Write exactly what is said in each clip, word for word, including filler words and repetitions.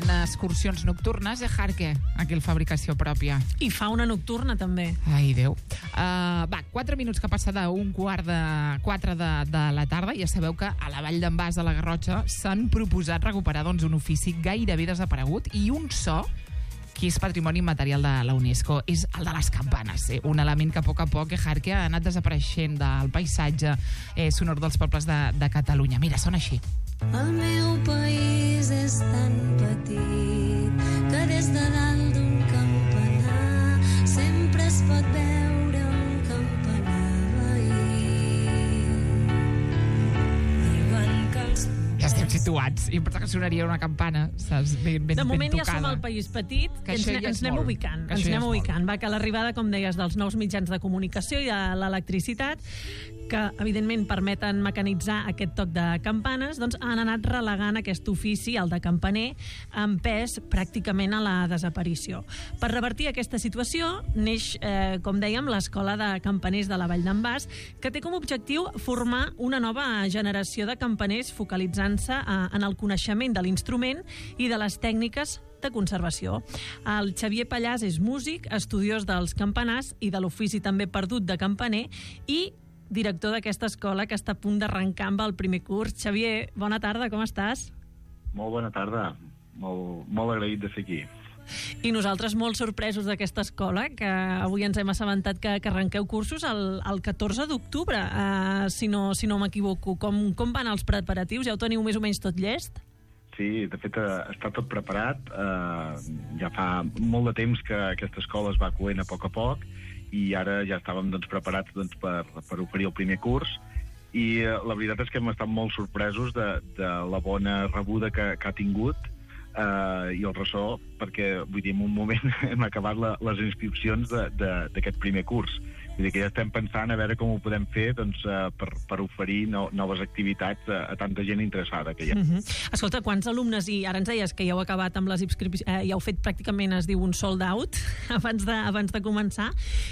en excursions nocturnes, i Jarque, aquí el fabricació pròpia. I fa una nocturna, també. Ai, Déu. Uh, va, quatre minuts que passa d'un quart de quatre de, de la tarda. Ja sabeu que a la Vall d'en Bas de la Garrotxa s'han proposat recuperar doncs, un ofici gairebé desaparegut i un so que és patrimoni immaterial de la UNESCO, és el de les campanes, eh? Un element que a poc a poc, eh, Jarque, ha anat desapareixent del paisatge eh, sonor dels pobles de, de Catalunya. Mira, sona així. El meu país és tan petit que des de dalt d'un campanar sempre es pot veure un campanar veí. Diuen que els... Ja estem situats. I em pensa que sonaria una campana, saps? Ben, ben, de moment ben ja som al país petit, que ens, ja ens anem molt. ubicant. Que ens anem ja ubicant. Va, que l'arribada, com deies, dels nous mitjans de comunicació i de l'electricitat, que evidentment permeten mecanitzar aquest toc de campanes, doncs han anat relegant aquest ofici, el de campaner, amb pes pràcticament a la desaparició. Per revertir aquesta situació neix, eh, com dèiem, l'Escola de Campaners de la Vall d'en Bas, que té com a objectiu formar una nova generació de campaners focalitzant-se eh, en el coneixement de l'instrument i de les tècniques de conservació. El Xavier Pallàs és músic, estudiós dels campanars i de l'ofici també perdut de campaner i director d'aquesta escola que està a punt d'arrencar amb el primer curs. Xavier, bona tarda, com estàs? Molt bona tarda, molt, molt agraït de ser aquí. I nosaltres molt sorpresos d'aquesta escola, que avui ens hem assabentat que, que arrenqueu cursos el, el catorze d'octubre, uh, si no, si no m'equivoco. Com, com van els preparatius? Ja ho teniu més o menys tot llest? Sí, de fet està tot preparat. Eh, ja fa molt de temps que aquesta escola es va coent a poc a poc i ara ja estàvem doncs, preparats doncs, per, per oferir el primer curs i eh, la veritat és que hem estat molt sorpresos de, de la bona rebuda que, que ha tingut eh, i el ressò, perquè vull dir, en un moment hem acabat la, les inscripcions d'aquest primer curs. Vull dir que ja estem pensant a veure com ho podem fer doncs, uh, per, per oferir no, noves activitats a, a tanta gent interessada que hi ha. Uh -huh. Escolta, quants alumnes, i ara ens deies que ja heu acabat amb les inscripcions, eh, ja heu fet pràcticament, es diu, un sold out abans de, abans de començar.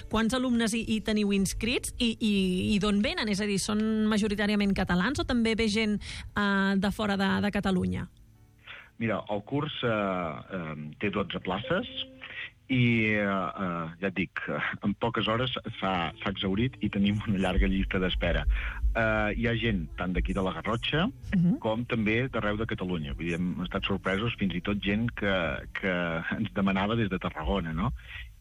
Quants alumnes hi, hi teniu inscrits i, i, i d'on venen? És a dir, són majoritàriament catalans o també ve gent eh, de fora de, de Catalunya? Mira, el curs eh, eh, té dotze places i eh, eh, ja et dic, en poques hores s'ha exhaurit i tenim una llarga llista d'espera. Eh, hi ha gent tant d'aquí de la Garrotxa uh-huh. com també d'arreu de Catalunya. Vull dir, hem estat sorpresos, fins i tot gent que, que ens demanava des de Tarragona, no?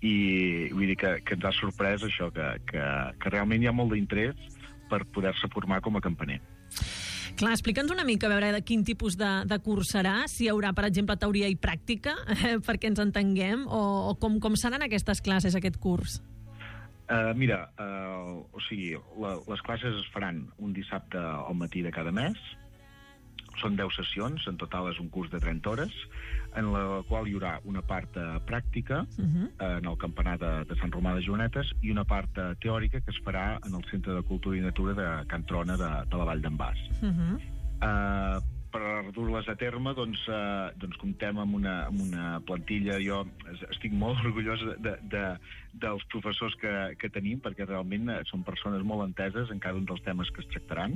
I vull dir que, que ens ha sorprès això, que, que, que realment hi ha molt d'interès per poder-se formar com a campaner. Clar, explica'ns una mica a veure de quin tipus de, de curs serà, si hi haurà, per exemple, teoria i pràctica, eh, perquè ens entenguem, o, o com, com seran aquestes classes, aquest curs? Uh, mira, uh, o sigui, la, les classes es faran un dissabte al matí de cada mes, són deu sessions, en total és un curs de trenta hores, en la qual hi haurà una part pràctica uh-huh. en el campanar de, de Sant Romà de Joanetes i una part teòrica que es farà en el Centre de Cultura i Natura de Can Trona de, de la Vall d'en Bas. Uh-huh. uh, per dur-les a terme doncs, uh, doncs comptem amb una, amb una plantilla. Jo estic molt orgullós de, de, dels professors que, que tenim, perquè realment són persones molt enteses en cada un dels temes que es tractaran.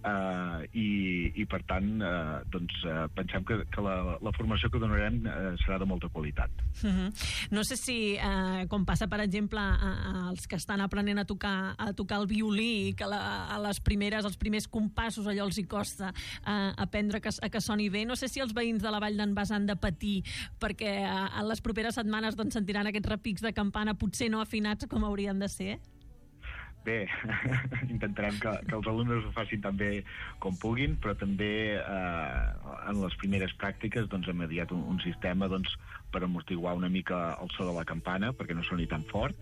Uh, i, i per tant uh, doncs, uh, pensem que, que la, la formació que donarem uh, serà de molta qualitat. Uh-huh. No sé si, uh, com passa per exemple als que estan aprenent a tocar, a tocar el violí i que la, a les primeres, els primers compassos allò els hi costa uh, aprendre que, a que soni bé, no sé si els veïns de la Vall d'en Bas han de patir perquè uh, en les properes setmanes doncs, sentiran aquests repics de campana potser no afinats com haurien de ser. Bé, intentarem que, que els alumnes ho facin tan bé com puguin, però també eh, en les primeres pràctiques doncs, hem mediat un, un sistema doncs, per amortiguar una mica el so de la campana, perquè no soni tan fort.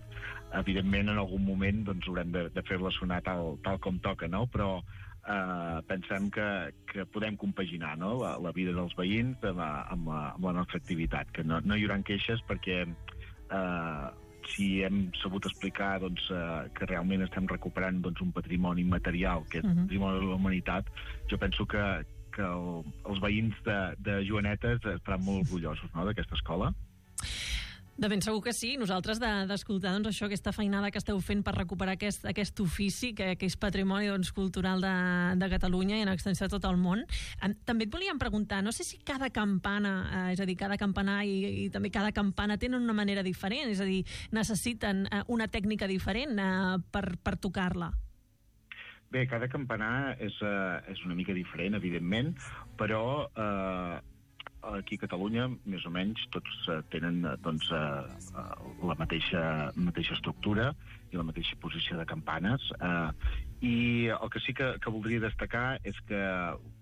Evidentment, en algun moment doncs, haurem de, de fer-la sonar tal, tal com toca, no? Però eh, pensem que, que podem compaginar, no? la, la vida dels veïns amb la, amb la, amb la nostra activitat, que no, no hi haurà queixes perquè... Eh, si hem sabut explicar doncs, eh, que realment estem recuperant doncs, un patrimoni immaterial, que és el patrimoni de la humanitat, jo penso que, que el, els veïns de, de Joanetes estaran molt orgullosos, no?, d'aquesta escola. De ben segur que sí. Nosaltres d'escoltar de, doncs, això, aquesta feinada que esteu fent per recuperar aquest, aquest ofici que, que és patrimoni doncs, cultural de, de Catalunya i en extensió de tot el món. També et volíem preguntar, no sé si cada campana, eh, és a dir, cada campanar i, i també cada campana tenen una manera diferent, és a dir, necessiten eh, una tècnica diferent eh, per, per tocar-la. Bé, cada campanar és, uh, és una mica diferent, evidentment, però uh, aquí a Catalunya, més o menys, tots uh, tenen doncs, uh, uh, la mateixa, mateixa estructura i la mateixa posició de campanes. Uh, I el que sí que, que voldria destacar és que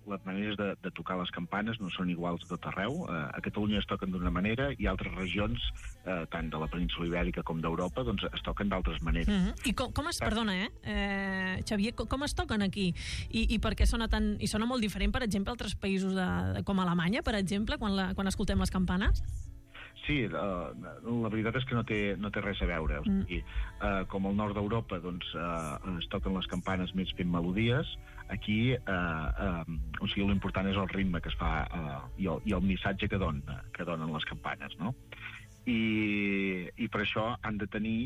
les maneres de, de tocar les campanes no són iguals a tot arreu. Uh, a Catalunya es toquen d'una manera i altres regions, uh, tant de la península Ibèrica com d'Europa, doncs es toquen d'altres maneres. Mm-hmm. I com, com es, perdona, eh? eh Xavier, com, com es toquen aquí? I, i per què sona tan... I sona molt diferent, per exemple, a altres països de, de, com Alemanya, per exemple, quan, la, quan escoltem les campanes? Sí, uh, la veritat és que no té, no té res a veure. O sigui, uh, com al nord d'Europa doncs, uh, es toquen les campanes més fent melodies, aquí uh, uh, o sigui, l'important és el ritme que es fa uh, i, el, i el missatge que, don, que donen les campanes, no? I, i per això han de tenir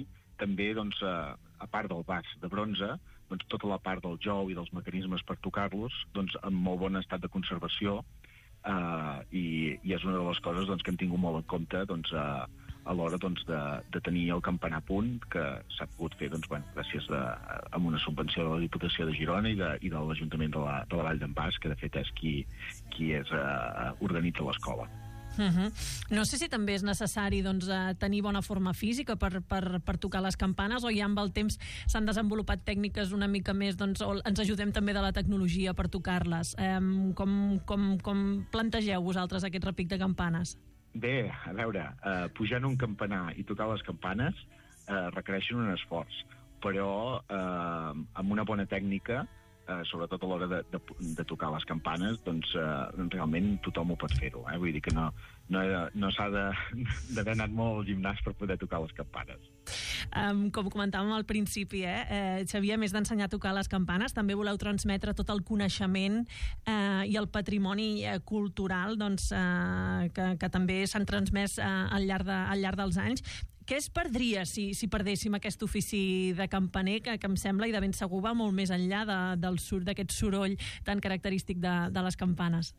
també, doncs, uh, a part del bas de bronze, doncs, tota la part del jou i dels mecanismes per tocar-los doncs, en molt bon estat de conservació. Uh, i, i és una de les coses doncs, que hem tingut molt en compte doncs, uh, a l'hora doncs, de, de tenir el campanar a punt, que s'ha pogut fer doncs, bueno, gràcies a, a, amb una subvenció de la Diputació de Girona i de, i de l'Ajuntament de la, de la Vall d'en Bas, que de fet és qui, qui és, uh, organitza l'escola. Uh-huh. No sé si també és necessari doncs, tenir bona forma física per, per, per tocar les campanes, o ja amb el temps s'han desenvolupat tècniques una mica més, doncs, o ens ajudem també de la tecnologia per tocar-les. Um, com, com, com plantegeu vosaltres aquest repic de campanes? Bé, a veure, uh, pujar en un campanar i tocar les campanes uh, requereixen un esforç, però uh, amb una bona tècnica, Uh, sobretot a l'hora de, de, de tocar les campanes, doncs uh, realment tothom ho pot fer-ho. Eh? Vull dir que no, no, no s'ha d'haver anat molt al gimnàs per poder tocar les campanes. Um, com comentàvem al principi, eh, eh, Xavier, a més d'ensenyar a tocar les campanes, també voleu transmetre tot el coneixement eh, i el patrimoni eh, cultural doncs, eh, que, que també s'han transmès eh, al, llarg de, al llarg dels anys. Què es perdria si, si perdéssim aquest ofici de campaner, que, que em sembla, i de ben segur va molt més enllà de, del sur, d'aquest soroll tan característic de, de les campanes?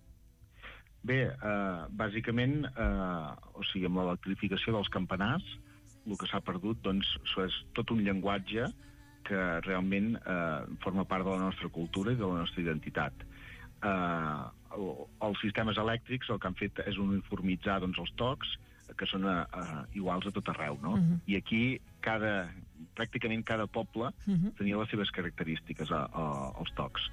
Bé, eh, bàsicament, eh, o sigui, amb l'electrificació dels campanars, el que s'ha perdut doncs, és tot un llenguatge que realment eh, forma part de la nostra cultura i de la nostra identitat. Eh, els sistemes elèctrics el que han fet és uniformitzar doncs, els tocs, que són uh, uh, iguals a tot arreu, no? Uh-huh. I aquí cada, pràcticament cada poble uh-huh. tenia les seves característiques a, a, als tocs.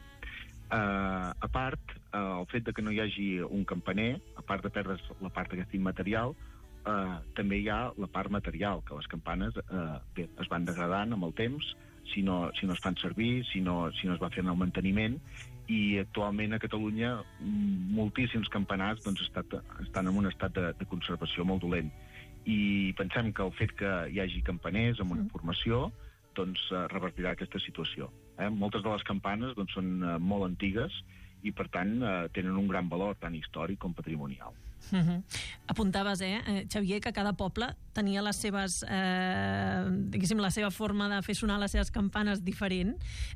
Uh, a part, uh, el fet de que no hi hagi un campaner, a part de perdre la part aquesta immaterial, uh, també hi ha la part material, que les campanes uh, bé, es van degradant amb el temps, si no, si no es fan servir, si no, si no es va fent el manteniment, i actualment a Catalunya moltíssims campanars doncs, estat, estan en un estat de, de conservació molt dolent. I pensem que el fet que hi hagi campaners amb una formació doncs, revertirà aquesta situació. Eh? Moltes de les campanes doncs, són uh, molt antigues i, per tant, uh, tenen un gran valor tant històric com patrimonial. Uh-huh. Apuntaves, eh, Xavier, que cada poble tenia les seves, eh, diguéssim, la seva forma de fer sonar les seves campanes diferent.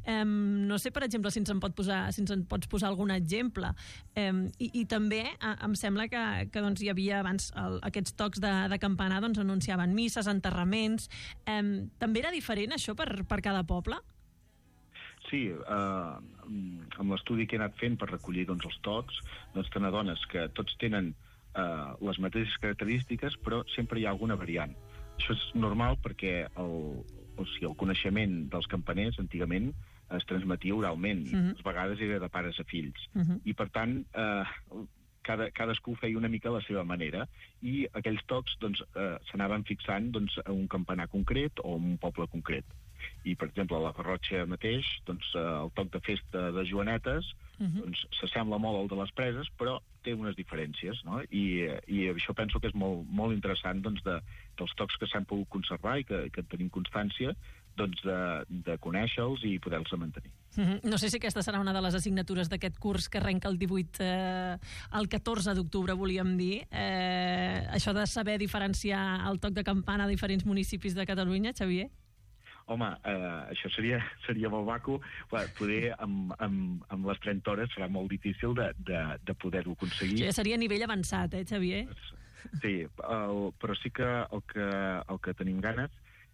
Eh, no sé, per exemple, si ens en, pot posar, si ens en pots posar algun exemple. Eh, i, I també eh, em sembla que, que doncs, hi havia abans el, aquests tocs de, de campanar doncs, anunciaven misses, enterraments. Eh, també era diferent això per, per cada poble? Sí, eh, amb l'estudi que he anat fent per recollir doncs, els tocs, doncs te n'adones que tots tenen eh, les mateixes característiques, però sempre hi ha alguna variant. Això és normal perquè el, o sigui, el coneixement dels campaners antigament es transmetia oralment, uh-huh. i a vegades era de pares a fills. Uh-huh. I per tant, eh, cada, cadascú feia una mica la seva manera, i aquells tocs doncs, eh, s'anaven fixant doncs, a un campanar concret o a un poble concret. I, per exemple, a la Garrotxa mateix, doncs, el toc de festa de Joanetes uh-huh. doncs, s'assembla molt al de les Preses, però té unes diferències, no? I, i això penso que és molt, molt interessant doncs, de, dels tocs que s'han pogut conservar i que, que tenim constància, doncs, de, de conèixer-los i poder-los mantenir. Mm-hmm. No sé si aquesta serà una de les assignatures d'aquest curs que arrenca el divuit, eh, el catorze d'octubre, volíem dir. Eh, això de saber diferenciar el toc de campana a diferents municipis de Catalunya, Xavier? Home, eh, això seria, seria molt maco. Bé, poder amb, amb, amb les trenta hores serà molt difícil de, de, de poder-ho aconseguir. Això ja seria a nivell avançat, eh, Xavier? Sí, el, però sí que el, que el que tenim ganes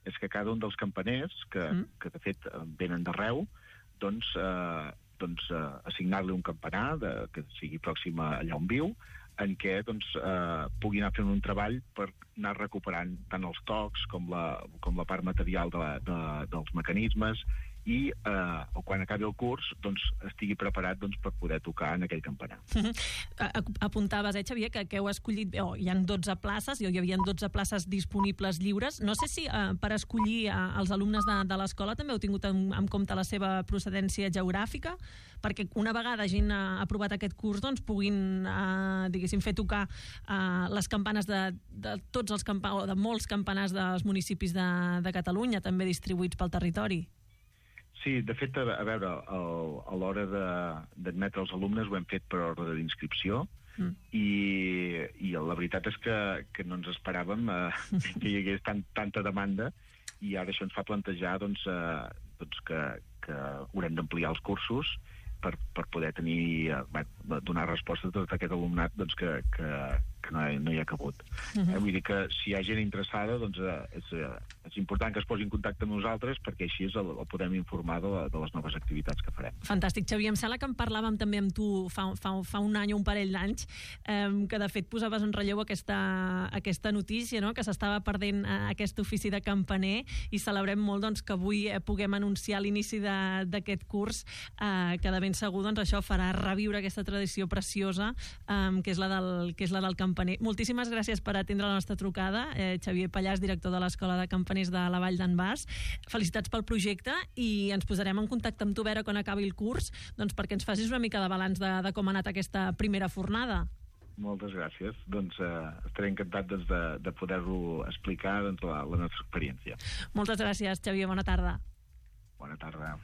és que cada un dels campaners, que, mm. que de fet venen d'arreu, doncs, eh, doncs eh, assignar-li un campanar de, que sigui pròxim a allà on viu, en què doncs, eh, pugui anar fent un treball per anar recuperant tant els tocs com la, com la part material de la, de, dels mecanismes i eh, quan acabi el curs doncs, estigui preparat doncs, per poder tocar en aquell campanar. Apuntaves, eh, Xavier, que, que heu escollit... Oh, hi ha dotze places, hi havia dotze places disponibles lliures. No sé si eh, per escollir eh, els alumnes de, de l'escola també heu tingut en, en compte la seva procedència geogràfica, perquè una vegada hagin eh, aprovat aquest curs doncs, puguin eh, diguéssim, fer tocar eh, les campanes de, de tots els campa o de molts campanars dels municipis de, de Catalunya, també distribuïts pel territori. Sí, de fet, a, a veure, el, a l'hora d'admetre els alumnes ho hem fet per ordre d'inscripció mm. i, i la veritat és que, que no ens esperàvem eh, que hi hagués tant, tanta demanda i ara això ens fa plantejar doncs, eh, doncs que, que haurem d'ampliar els cursos per, per poder tenir, eh, donar resposta a tot aquest alumnat doncs, que, que, que no, hi, no hi ha cabut. Uh -huh. eh, vull dir que si hi ha gent interessada, doncs eh, és, eh, és important que es posi en contacte amb nosaltres perquè així el, el podem informar de, la, de les noves activitats que farem. Fantàstic, Xavier. Em sembla que en parlàvem també amb tu fa, fa, fa un any o un parell d'anys, eh, que de fet posaves en relleu aquesta, aquesta notícia, no? Que s'estava perdent eh, aquest ofici de campaner i celebrem molt doncs, que avui eh, puguem anunciar l'inici d'aquest curs eh, que de ben segur doncs, això farà reviure aquesta tradició preciosa eh, que és la del, que és la del campaner. Moltíssimes gràcies per atendre la nostra trucada, eh, Xavier Pallàs, director de l'Escola de Campaners de la Vall d'en Bas. Felicitats pel projecte i ens posarem en contacte amb tu, Vera, quan acabi el curs, doncs perquè ens facis una mica de balanç de, de com ha anat aquesta primera fornada. Moltes gràcies. Doncs eh, estaré encantat doncs, de, de poder-ho explicar doncs, la, la nostra experiència. Moltes gràcies, Xavier. Bona tarda. Bona tarda.